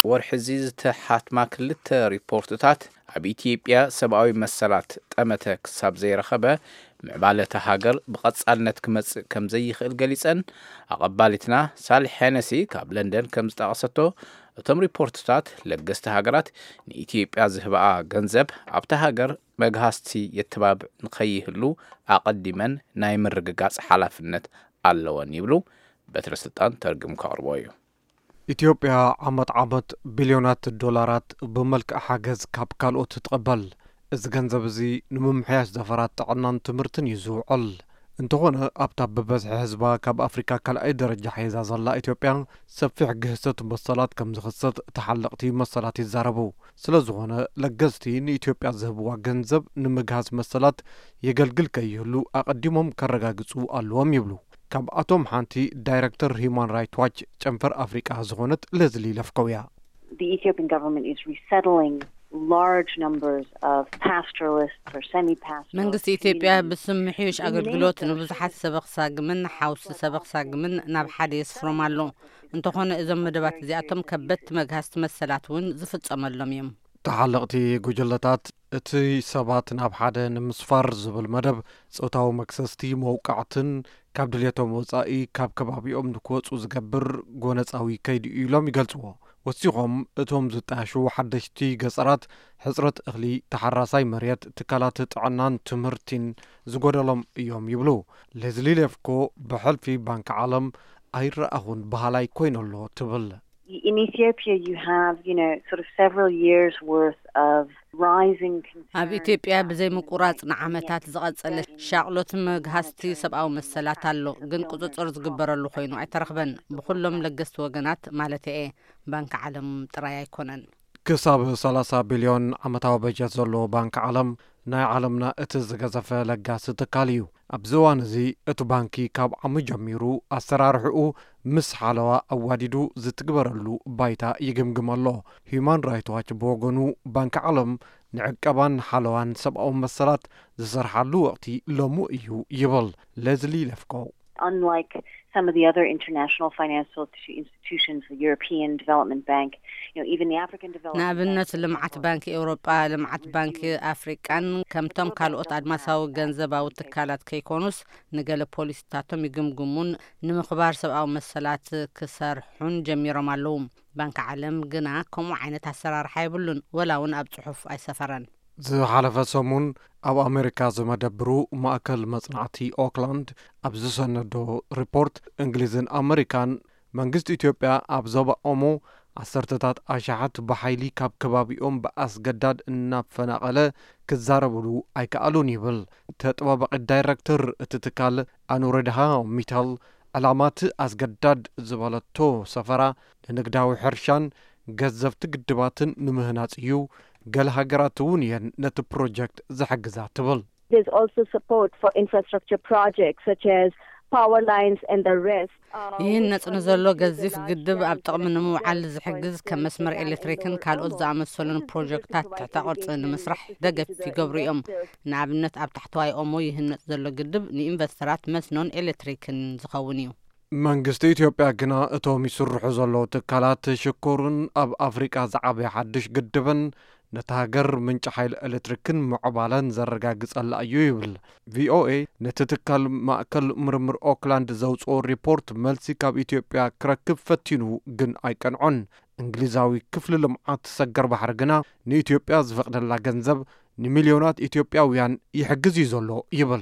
ወርሒ እዚ ዝተሓትማ ክልተ ሪፖርትታት፣ ኣብ ኢትዮጵያ ሰብኣዊ መሰላት ጠመተ ክሳብ ዘይረኸበ፣ ምዕባለ እታ ሃገር ብቐጻልነት ክመጽእ ከም ዘይኽእል ገሊጸን። ኣቐባሊትና ሳልሕ ሄነሲ ካብ ለንደን ከም ዝጠቐሰቶ፣ እቶም ሪፖርትታት ለገስቲ ሃገራት ንኢትዮጵያ ዝህብኣ ገንዘብ ኣብታ ሃገር መግሃስቲ የተባብዕ ንኸይህሉ ኣቐዲመን ናይ ምርግጋጽ ሓላፍነት ኣለወን ይብሉ። በትረ ስልጣን ተርጉም ከቕርቦ እዩ። ኢትዮጵያ ዓመት ዓመት ቢልዮናት ዶላራት ብመልክዕ ሓገዝ ካብ ካልኦት ትቕበል። እዚ ገንዘብ እዚ ንምምሕያሽ ዘፈራት ጥዕናን ትምህርትን እዩ ዝውዕል። እንተኾነ፣ ኣብታ ብበዝሒ ህዝባ ካብ ኣፍሪካ ካልኣይ ደረጃ ሒዛ ዘላ ኢትዮጵያ፣ ሰፊሕ ግህሰት መሰላት ከም ዝኽሰት ተሓለቕቲ መሰላት ይዛረቡ። ስለ ዝኾነ፣ ለገስቲ ንኢትዮጵያ ዝህብዋ ገንዘብ ንምግሃስ መሰላት የገልግል ከይህሉ ኣቐዲሞም ከረጋግጹ ኣለዎም ይብሉ። ካብኣቶም ሓንቲ ዳይረክተር ሂዩማን ራይት ዋች ጨንፈር ኣፍሪቃ ዝኾነት ሌዝሊ ለፍኮው እያ። The Ethiopian government is resettling large numbers of pastoralists or semi-pastoralists. መንግስቲ ኢትዮጵያ ብስም ምሕዩሽ ኣገልግሎት ንብዙሓት ሰበኽ ሳግምን ሓውሲ ሰበኽ ሳግምን ናብ ሓደ የስፍሮም ኣሎ። እንተኾነ፣ እዞም መደባት እዚኣቶም ከበድቲ መግሃስቲ መሰላት እውን ዝፍጸመሎም እዮም። ተሓለቕቲ ጉጅለታት፣ እቲ ሰባት ናብ ሓደ ንምስፋር ዝብል መደብ፣ ጾታዊ መክሰስቲ፣ መውቃዕትን ካብ ድልየቶም ወጻኢ ካብ ከባቢኦም ንክወጹ ዝገብር ጎነጻዊ ከይዲ እዩ ኢሎም ይገልጽዎ። ወሲኾም፣ እቶም ዝጣየሹ ሓደሽቲ ገጸራት፣ ሕጽረት እኽሊ፣ ተሓራሳይ መሬት፣ ትካላት ጥዕናን ትምህርቲን ዝጎደሎም እዮም ይብሉ። ሌዝሊ ሌፍኮ፣ ብሕልፊ ባንኪ ዓለም ኣይረኣኹን በሃላይ ኮይነ ኣሎ ትብል። In Ethiopia, you have, you know, sort of several years' worth of rising concern ኣብ ኢትዮጵያ about ብዘይ ምቁራጽ ንዓመታት ዝቐጸለ ሻቕሎት መግሃስቲ ሰብኣዊ መሰላት ኣሎ፣ ግን ቁጽጽር ዝግበረሉ ኮይኑ ኣይተረኽበን። ብኹሎም ለገስቲ ወገናት ማለት እየ፣ ባንኪ ዓለም ጥራይ ኣይኮነን። ክሳብ ሰላሳ ቢልዮን ዓመታዊ በጀት ዘለዎ ባንኪ ዓለም፣ ናይ ዓለምና እቲ ዝገዘፈ ለጋሲ ትካል እዩ። ኣብዚ እዋን እዚ፣ እቲ ባንኪ ካብ ዓሚ ጀሚሩ ኣሰራርሕኡ ምስ ሓለዋ ኣዋዲዱ ዝትግበረሉ ባይታ ይግምግም ኣሎ። ሂዩማን ራይት ዋች ብወገኑ፣ ባንኪ ዓለም ንዕቀባን ሓለዋን ሰብኣዊ መሰላት ዝሰርሓሉ ወቕቲ ሎሚ እዩ ይብል ሌዝሊ ለፍኮ። Unlike some of the other international financial institutions, the European Development Bank, you know, even the African Development ንኣብነት፣ Bank, ልምዓት ባንኪ ኤውሮጳ፣ ልምዓት ባንኪ ኣፍሪቃን ከምቶም ካልኦት ኣድማሳዊ ገንዘባዊ ትካላት ከይኮኑስ፣ ንገለ ፖሊሲታቶም ይግምግሙን ንምኽባር ሰብኣዊ መሰላት ክሰርሑን ጀሚሮም ኣለዉ። ባንኪ ዓለም ግና ከምኡ ዓይነት ኣሰራርሓ የብሉን፣ ወላ እውን ኣብ ጽሑፍ ኣይሰፈረን። ዝሓለፈ ሰሙን ኣብ ኣሜሪካ ዝመደብሩ ማእከል መጽናዕቲ ኦክላንድ ኣብ ዝሰነዶ ሪፖርት፣ እንግሊዝን ኣሜሪካን መንግስቲ ኢትዮጵያ ኣብ ዞባ ኦሞ ዓሰርተታት ኣሽሓት ብሓይሊ ካብ ከባቢኦም ብኣስገዳድ እናፈናቐለ ክዛረብሉ ኣይከኣሉን ይብል። ተጠባባቒ ዳይረክተር እቲ ትካል ኣኑረድሃ ሚታል፣ ዕላማ እቲ ኣስገዳድ ዝበለቶ ሰፈራ ንንግዳዊ ሕርሻን ገዘፍቲ ግድባትን ንምህናጽ እዩ። ገለ ሃገራት እውን እየን ነቲ ፕሮጀክት ዝሕግዛ ትብል። There's also support for infrastructure projects such as power lines and the rest. ይህነጽ ንዘሎ ገዚፍ ግድብ ኣብ ጥቕሚ ንምውዓል ዝሕግዝ ከም መስመር ኤሌክትሪክን ካልኦት ዝኣመሰሉን ፕሮጀክታት ትሕተ ቅርጺ ንምስራሕ ደገፍ ይገብሩ እዮም። ንኣብነት፣ ኣብ ታሕተዋይ ኦሞ ይህነጽ ዘሎ ግድብ ንኢንቨስተራት መስኖን ኤሌክትሪክን ዝኸውን እዩ። መንግስቲ ኢትዮጵያ ግና፣ እቶም ይስርሑ ዘለዉ ትካላት ሽኮርን ኣብ ኣፍሪቃ ዝዓበየ ሓድሽ ግድብን ነታ ሃገር ምንጪ ሓይሊ ኤሌክትሪክን ምዕባለን ዘረጋግጸላ እዩ ይብል። ቪኦኤ ነቲ ትካል ማእከል ምርምር ኦክላንድ ዘውጽኦ ሪፖርት መልሲ ካብ ኢትዮጵያ ክረክብ ፈቲኑ፣ ግን ኣይቀንዖን። እንግሊዛዊ ክፍሊ ልምዓት ሰገር ባሕሪ ግና፣ ንኢትዮጵያ ዝፈቕደላ ገንዘብ ንሚልዮናት ኢትዮጵያውያን ይሕግዝ እዩ ዘሎ ይብል።